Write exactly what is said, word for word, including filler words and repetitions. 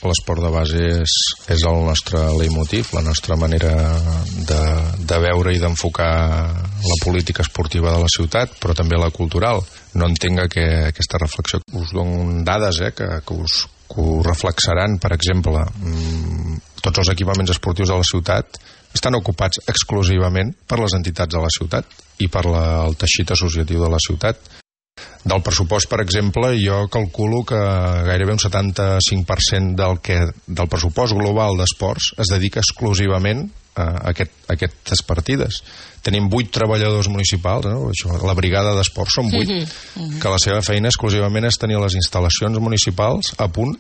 L'esport de base és, és el nostre leitmotiv, la nostra manera de, de veure i d'enfocar la política esportiva de la ciutat, però també la cultural. No entenc que aquesta reflexió. Us dono dades eh, que, que, us, que us reflexaran. Per exemple, tots els equipaments esportius de la ciutat estan ocupats exclusivament per les entitats de la ciutat i per la, el teixit associatiu de la ciutat. Del pressupost, per exemple, jo calculo que gairebé un setanta-cinc per cent del, que, del pressupost global d'esports es dedica exclusivament a, aquest, a aquestes partides. Tenim vuit treballadors municipals, no? Això, la brigada d'esports són vuit, mm-hmm. que la seva feina exclusivament és tenir les instal·lacions municipals a punt